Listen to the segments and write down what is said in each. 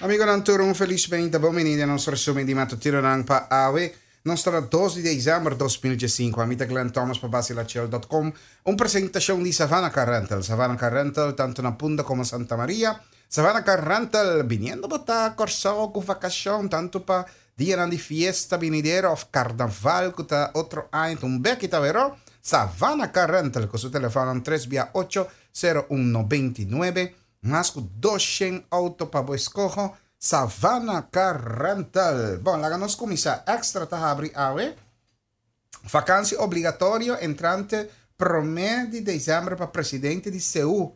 Amigonan tur un felis meinta bon bini den nos resumen di matutinonan pa awe. Nos ta na dos di december 2015. Ami ta Glenn Thomas pa Basilachel.com. Un presentacion di Savannah Car Rental. Savannah Car Rental tanto na Punda como Santa Maria. Savannah Car Rental biniendo bo ta Corsou cu vacacion tanto pa dianan di fiesta binidero of carnaval cu ta otro aña ta un beki ta wero. Savannah Car Rental cu su telefonan tres bia ocho sero un 99. Mas ku 200 outo pa bo eskoho, Savannah Car Rental. Bon, laga nos kuminsá. Extra ta habri awe. Vakansi obligatorio entrante promé di desèmber pa presidente di SEU.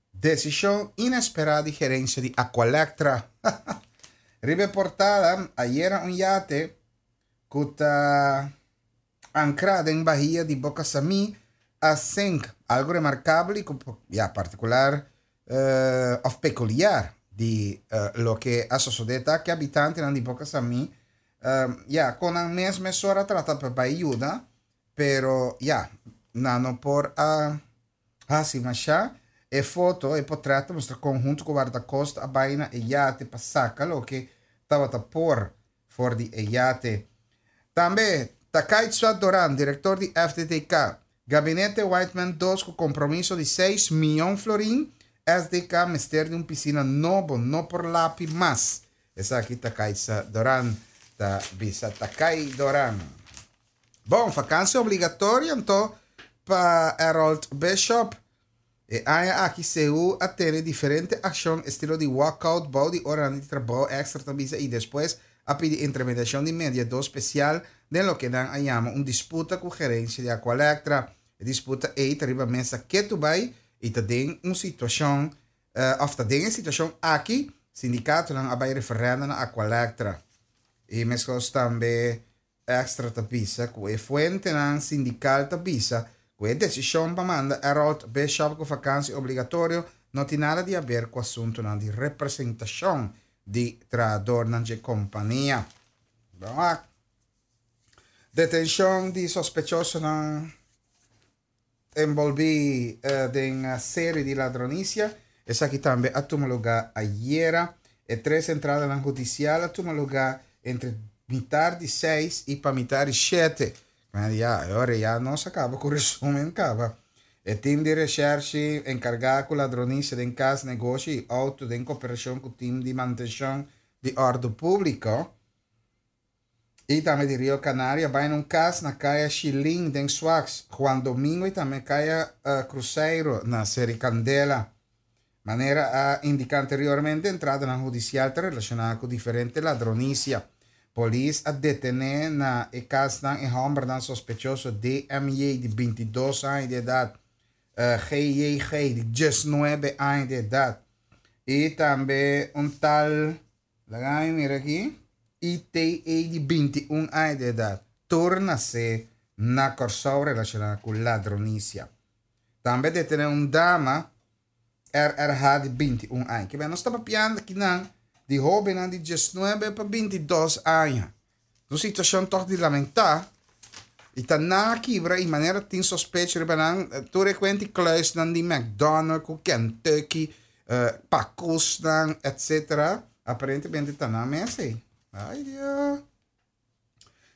Desishon inesperá di gerensia di Aqualectra. Riba e portada, ayera un yate ku ta ankrá den bahia di Boca Samí a sink, algu remarkabel i ku ya partikular òf pekuliar di loke a sosodé ta ku e habitantenan di Boca Samí ya kon nan mes mesora a trata pa bai yuda pero ya nan no por a hasi mashá. E foto, e potrèt ta mustra kon huntu ku wardakosta a bai na e yate pa saka loke tabata por for di e yate. Tambe, Takaitza Doran, direktor di FDTK, Gabinete Whiteman dos ku kompromiso di seis mion florin, SDK mester di un pisina nobo, no por lapi mas. Esaki Takaitza Doran ta bisa. Takai Doran. Bon, vakansi obligatorio anto pa Harold Bishop. E aña aki CU a tene diferente akshon estilo di walkout bou di oranan di trabou extra ta bisa i despues a pidi intermediashon di mediadó spesial den loke nan a yama un disputa ku gerensia di Aqualectra. E disputa ei ta riba mesa ketu bai i ta den un situashon òf ta den e situashon aki sindikatonan a bai referèndum na Aqualectra i meskos tambe Extra ta bisa ku e fuentenan sindikal ta bisa ku e desishon pa manda Harold Bishop ku vakansi obligatorio no tin nada di haber ku asuntunan di representashon di trahadornan dje kompania. Bon wak. Detenshon di sospechosonan. Enbolbí den seri di ladronisia. Esaki tambe a tuma lugá ayera. E tres entradanan hudisial a tuma lugá entre mitar di seis i pa mitar di shete. Ya, e ora ya nos a kaba ku resumen kaba. E tim di reshèrshi enkargá ku ladronisia den kas, negoshi i outo den koperashon ku tim di mantenshon di òrdu públiko, I tambe di Rio Canario a bai na un kas na Kaya Shilin den Swax, Juan Domingo i tambe Kaya Cruzeiro na Seri Candela. Manera a indiká anteriormente, entradanan hudisial ta relashoná ku diferente ladronisia. Polis a detené na e kasnan e hòmbernan sospechoso DMJ di 22 aña di edat, GJG di 19 aña di edat i tambe un tal Laga mi mira aki, ITE di 21 aña di edat, tur nasé na Kòrsou relashoná ku ladronisia. Tambe detené un dama, RRH di 21 aña. Kiba nos ta papiando akinan di hóbennan di 19 pa 22 aña. Un situashon tòg di lamentá i ta nan a kibra i manera tin sospecho riba nan tur e kuenti kluisnan di McDonald ku Kentucky, pakusnan etsetera aparentemente ta nan mes ei. Ai Dio.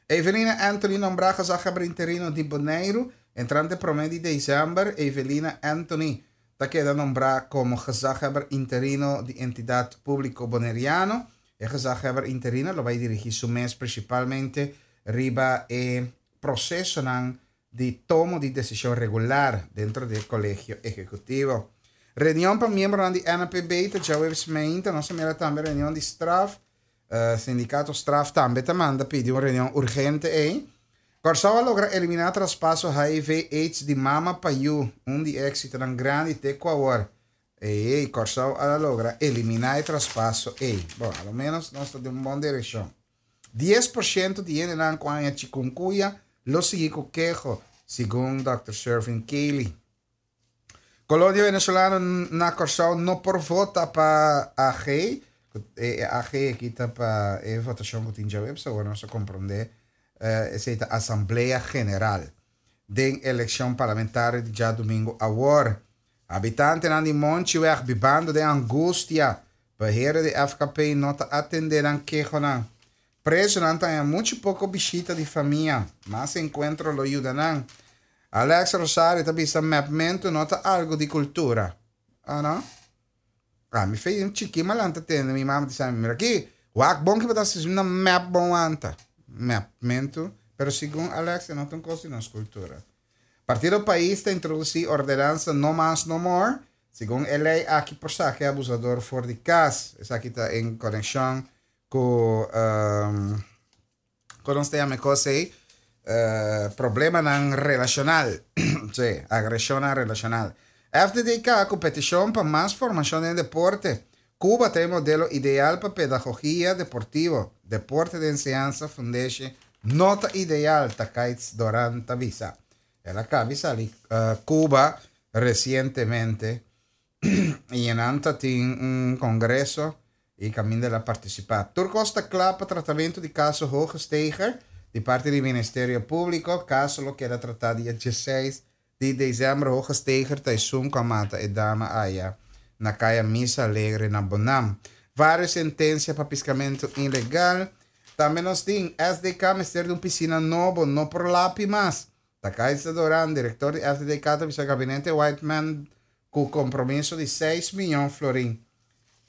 Evelina Anthony nombrá gezaghebber interino di Boneiru entrante promé di desèmber Evelina Anthony ta keda nombrá komo gezaghebber interino di Entidat Públiko Boneriano. E gezaghebber interino lo bai dirigí su mes prinsipalmente riba e prosesonan di tomo di desishon regular dentro di e Kolegio Ehekutivo. Reunion pa miembronan di NPB ta djaweps meinta. Nos a mira tambe reunion di straf. Sindikato straf tambe ta manda pidi un reunion urgente ei. Kòrsou a logra eliminá traspaso HIV aids di mama pa yu, un di e éksitonan grandi te ku awor. Ey, Kòrsou a logra eliminá e traspaso ey. Bon, a lo ménos nos ta den un bon direkshon. 10% di hendenan ku haña chikungunya lo sigui ku keho, segun dòkter Shervin Cayley. Kolonia venezolano na Kòrsou no por vota pa AG. E AG aki ta pa e votashon ku tin djaweps, awor nos a komprondé esei ta Asamblea General den elekshon parlamentario di djadumingu awor. Habitantenan di Monchiweg bibando den angustia. Beheerder di FKP no ta atendé nan kehonan. Prezunan ta haña muchu poko bishita di famia. Mas enkuentro lo yuda nan. Alex Rosario ta bisa mèpmentu no ta algu di kultura. Ah no? Ah, mi fe un chiki malanta tende mi mama ta bisa mi, mira aki, wak bon ki bo ta hasi na mèp bon wanta. Mèpmentu, pero segun Alex e no ta un kos di nos kultura. Partido Pais ta introdusí ordenansa No Mas No More. Segun e lei aki por saka e abusador for di kas. Esaki ta en konekshon ku kon nos ta yama e kos ei? Problemanan relashonal. Sí, agreshonnan relashonal. FDDK ku petishon pa mas formashon den deporte. Cuba ta e modelo ideal pa pedagogia deportivo. Deporte den enseñansa fundeshi no ta ideal, Takaits Doran ta bisa. El a cabi sali Cuba recientemente y nan ta tin un congreso y caminda el a participa. Tur cos ta cla pa tratamento di caso Hoogesteger di parti di Ministerio Publico. Caso lo keda trata dia dieseis Di december Hoogesteger ta esun cu a mata e dama aya na caya Misa Alegre na Bonam. Varios sentencia pa piscamento ilegal. Tambe nos tin, SDK mester di un piscina nobo, no por lapi mas. Takaisa Doran, director di SDK ta bisa gabinete Whiteman cu compromiso di seis miyon florin.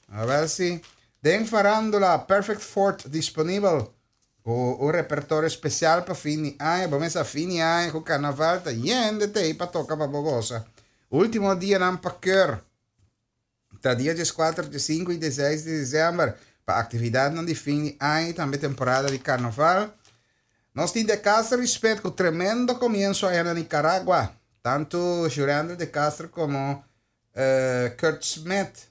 A ver si. Den farandula, Perfect Fourth disponibel. Ku un repertorio spesial pa fin di aña, bo mester fin di aña ku karnaval ta yen de tei pa toka pa bo gosa. Ultimo dianan pa keur ta dia dieskuater, diesinku i dieseis di desèmber pa aktividatnan di fin di aña i tambe temporada di karnaval. Nos tin De Castro i Smith ku tremendo komienso aña na Nicaragua. Tantu Jurendel De Castro komo Kurt Smith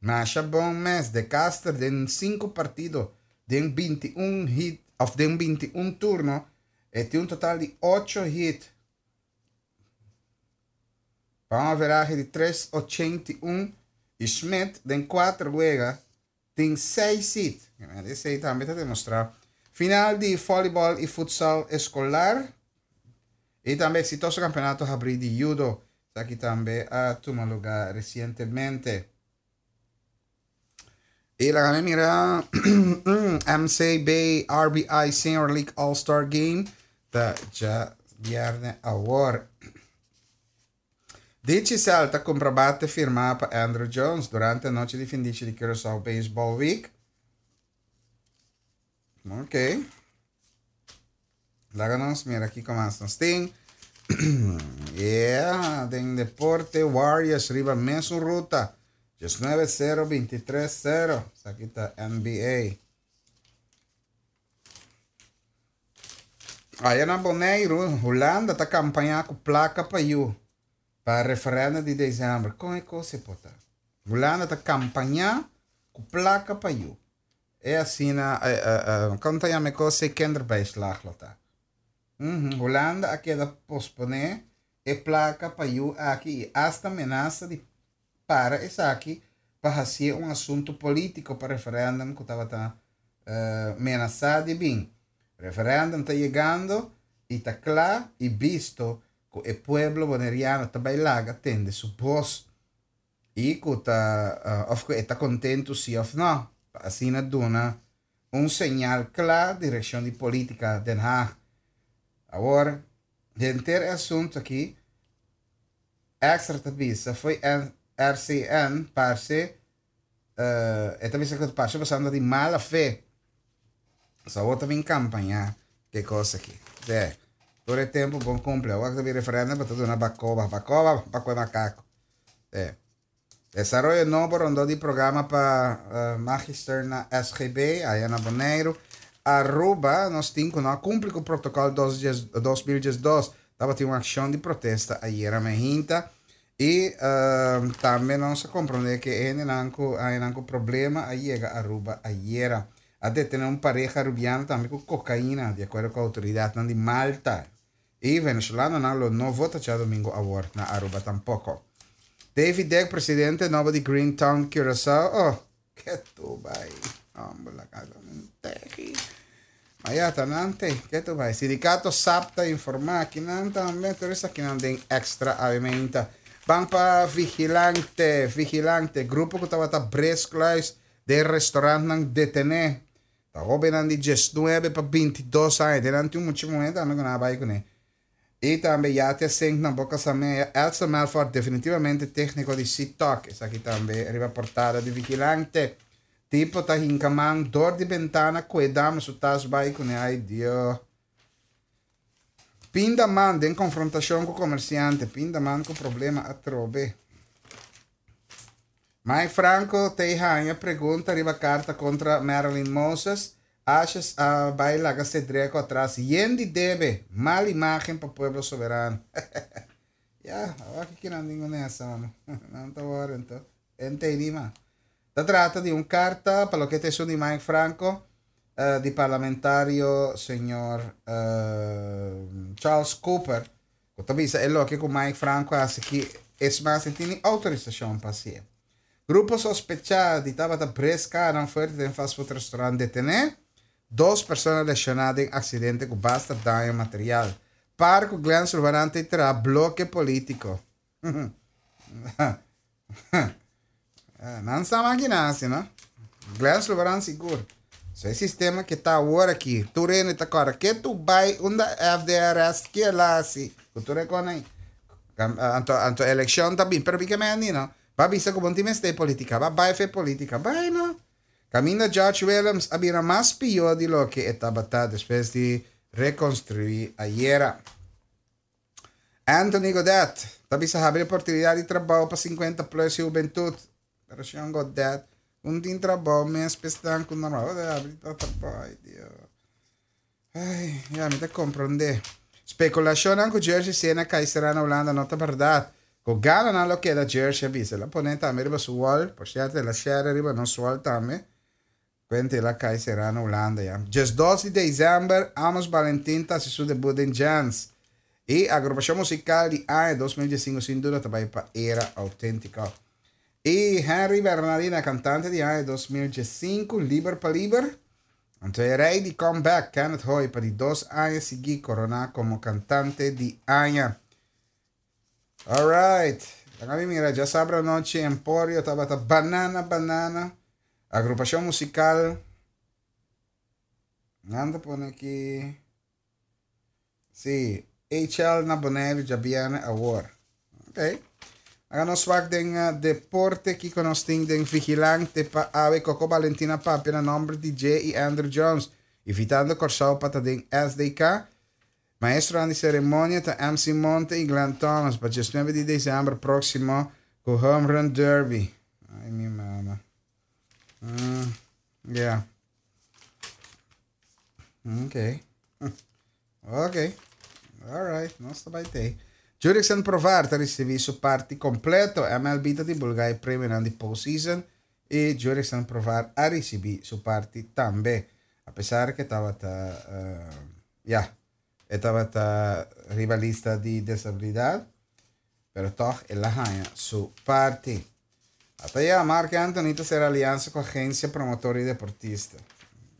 Masha bon mes, De Caster den sinku partido den 21 hit of den 21 turno e tin un total di ocho hit pa un averahe di tres ochenta i un i Smith den kuater wega tin seis hit. Esei tambe ta demostra final di volleyball i futsal eskolar i tambe eksitoso kampeonato habrí di judo. Esaki tambe a tuma lugar recientemente. Y laga mi mira MCB RBI Senior League All Star Game ta dja bierne awor. Digicel ta cumpra bate firma pa Andruw Jones durante anochi di findichi di Curaçao Baseball Week. Ok. Laga nos mira kiko mas nos tin. Yeah, den deporte Warriors riba mesun ruta. 19-0, 23-0. Esaki ta NBA. Aya na Boneiru, Hulanda ta kampañá ku plaka pa yu pa referèndum di desèmber. Kon e kos e por ta? Hulanda ta kampañá ku plaka pa yu. E asina, kon ta yama e kos ei kinderbijslag lo ta. Hulanda a keda posponé e plaka pa yu aki i asta menasa di para esaki pa hasié un asuntu polítiko pa referèndum ku tabata menasá di bin. Referèndum ta yegando i ta kla i bisto ku e pueblo boneriano ta bai laga tende su bos. I ku ta òf ku e ta kontentu si òf nò, pa asina duna un señal kla direkshon di polítika Den Haag. Awor, henter e asuntu aki, Extra ta bisa fo'i RCN parse e ta bisa ku parse pasando di mala fe. So awor ta bin kampañá ke kos aki. Te, tur e tempu bon kumpli. Awor ta bin referèndum pa ta duna bakoba, bakoba pa kue makako. Te. Desaroyo nobo rondó di programa pa magister na SGB, aya na Boneiru. Aruba, nos tin ku no a kumpli ku protokòl 2012. Tabatin un akshon di protesta ayera mehinta. I tambe nos a komprondé ku e hendenan ku a haña nan ku problema a yega Aruba ayera. A detené un pareha arubiano tambe ku kokaina, di akuerdo ku outoridatnan di Malta. I venezolanonan lo no vota djadumingu awor na Aruba tampoko. Davy Deck, presidente nobo di Green Town Curaçao, oh, ke tu bai, homber la casa un tegi. Ma ya ta nan te, ke tu bai. Sindicato sap ta informa kinan tambe, tur esakinan den extra awe meinta. Ban pa Vigilante, Vigilante, grupo ku tabata Bres Kluis. Den restaurantnan detené. Ta hóbennan di diesnuebe pa bintidos aña. Den nan tin un mucha muhé tambe ku nan a bai kuné. I tambe yate a sink na Boca Samea. Edson Melfort definitivamente tékniko di Sitok. Esaki tambe riba portada di Vigilante. Tipo ta hinka man dor di bentana ku e dama su tas bai kuné. Ai Dio. Pinda man den konfrontashon ku komersiante. Pinda man ku problema atrobe. Mike Franco t'ei haña pregunta riba karta kontra Marilyn Moses. Asjes a bai laga Cedreco atras yen di debe, mal imagen pa Pueblo Soberano. Ya, awor ki kinan tin ku nesa, mano. Nan ta wòrdu anto. Entendí ma. Ta trata di un karta pa loke ta esun di Mike Franco, di parlamentario señor Charles Cooper, ku ta bisa e loke ku Mike Franco a hasi ki es mas e tin ni outorisashon pa hasié. Grupo sospechá di tabata bres kanan fuerte den fast food restaurant detené, dos persona lesioná den aksidente ku basta daño material. Par ku Glenn Sulvaran ta traha bloke polítiko. Nan sa makina hasi, no? Glenn Sulvaran sigur. So e sistema ke ta awor aki, tur hende ta kòrda ke tu bai unda FDRS ke el a hasi, ku tur e kos ei. Anto, anto elekshon ta bin, pero bi ke meni, no? Ba bisa ku bo no tin mester politika, ba bai fe politika, bai no. Kaminda George Willems a bira mas pió di loke e tabata despues di rekonstruí ayera. Anthony Godet ta bisa habri oportunidat di trabou pa 50 plus i hubentut. Pero señor Godet, un tin trabou mes pestan ku normal. Bo ta habri pa trabou, ay Dios. Ay, ya mi ta komprondé. Spekulashonnan ku Jersey Sena kai será na Hulanda no ta bèrdat. Ku gananan lo keda Jersey a bisa. El a pone tambe riba su wall. Por sierto, el a share riba nos wall tambe. Cuenta el a cay sera na Hulanda ya. 12 di december Amos Balentin ta haci su debut den Jans. Y agrupacion musical di aña 2015 sin duda ta bay pa Era Autentico. Y Henry Bernardina cantante di aña 2015 liber pa liber. Anto e rey di comeback Kenneth Hoy pa di dos aña sigui corona como cantante di aña. Alright. Laga mi mira, djasabra anochi Emporio tabata banana banana. Agrupacion musical. Nan ta pone aki. Sí, HL na Bonaire djabierne awor. Ok. Laga nos wak den eh, deporte kiko nos tin den Vigilante pa awe Coco Valentina papia na nomber di J i Andrew Jones, invitando Kòrsou pa ta den SDK. Maestronan di seremonia ta MC Monte y Glenn Thomas pa diesnuebe di december proximo cu Home Run Derby. Ay mi mama. Mm, yeah. Ok. Ok. All right, nos ta bai tei. Jurickson Profar ta ricibi su parti completo. MLB ta divulga e premionan di postseason y Jurickson Profar a ricibi su parti tambe. A pesar que tabata uh, Ya, e tabata riba lista di desabilidad, pero tog el a haña su parti. Ata ya, Marc Anthony ta sera aliansa cu agencia promotor y deportista.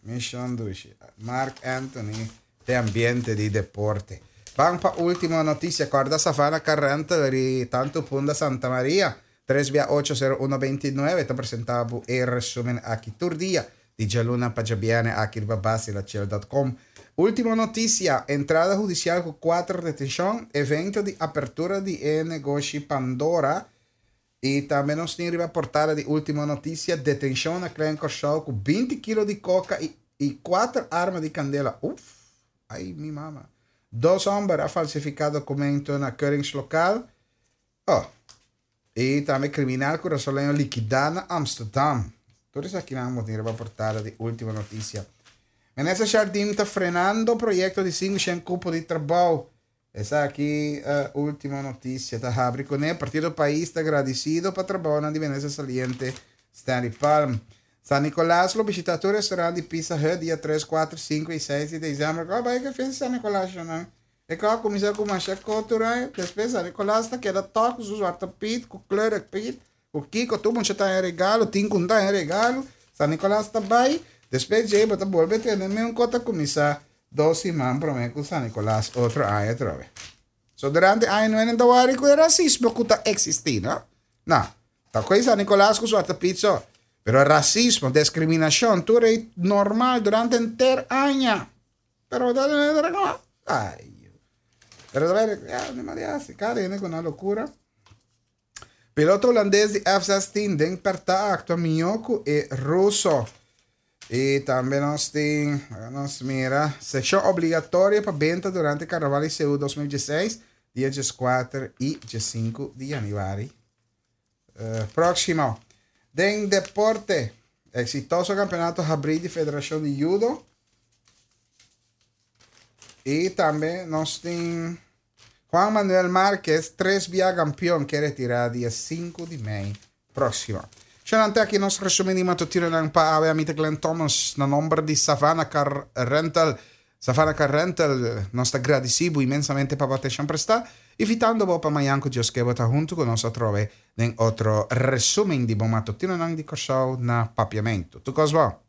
Mission dushi. Marc Anthony den ambiente di deporte. Ban pa ultimo noticia. Corda Savannah Car Rental ri tanto Punda Santa Maria. Tres bia ocho sero uno beintinuebe ta presenta bo e resumen aki tur dia di djaluna pa djabierne aki riba basilachel.com. Ultimo noticia, entrada hudicial cu cuater detencion, evento di apertura di e negoshi Pandora y tambe nos tin riba portada di Ultimo Noticia, detencion na Klein Corsou cu binti kilo di coca y y cuater arma di candela. Uf! Ay mi mama. Dos homber a falsifica documento na keuringslokaal. Oh. I tambe kriminal kurasoleño likidá na Amsterdam. Tur esakinan bo tin riba portada di Ultimo Noticia. Minister Jardim ta frenando proyekto di 500 kupo di trabou. Esaki Ultimo Noticia ta habri kuné. Partido Pais ta gradisido pa trabounan di minister saliente Stanley Palm. San Nicolas lo bishita tur restaurant di Pizza Hut dia 3, 4, 5 i 6 di desèmber. Kòl bai ku e fiesta San Nicolas shonnan? E kò a kuminsá ku masha kotura, despues San Nicolas ta keda tòk ku su zwarte piet, ku kleurig piet, ku kiko, tur mucha ta haña regalo, tin ku no ta haña regalo, San Nicolas ta bai, despues djei bo ta bolbe tene meun kos ta kuminsá dos siman promé ku San Nicolas otro aña atrobe. So durante aña nuenen ta wòri ku e rasismo ku ta eksistí, no? No, ta koe San Nicolas ku zwarte piet so. Pero rasismo, deskriminashon, tur ei normal durante henter aña. Pero ay. Pero ya, ni mari hasi, kada hende ku nan lokura. Piloto hulandes di F-16 den pèrtá a aktua mihó ku e ruso. I tambe nos tin, nos mira, sekshon obligatorio pa benta durante Karnaval di Seú 2016, dia 14 i 15 di yanüari próksimo. Den deporte, eksitoso kampeonato habrí di Federashon di Judo. I tambe nos tin Juan Manuel Márquez, tres bia kampeon, ke retirá dia 5 di mei próksimo. Shonnan te aki nos resumen di matutinonan pa awe. Ami ta Glenn Thomas na nomber di Savannah Car Rental. Savannah Car Rental, nos ta gradisí bo inmensamente pa bo atenshon prestá, invitando bo pa mañan ku Dios ke bo ta huntu ku nos atrobe den otro resumen di bo matutinonan di Kòrsou na Papiamentu. Tur kos bon.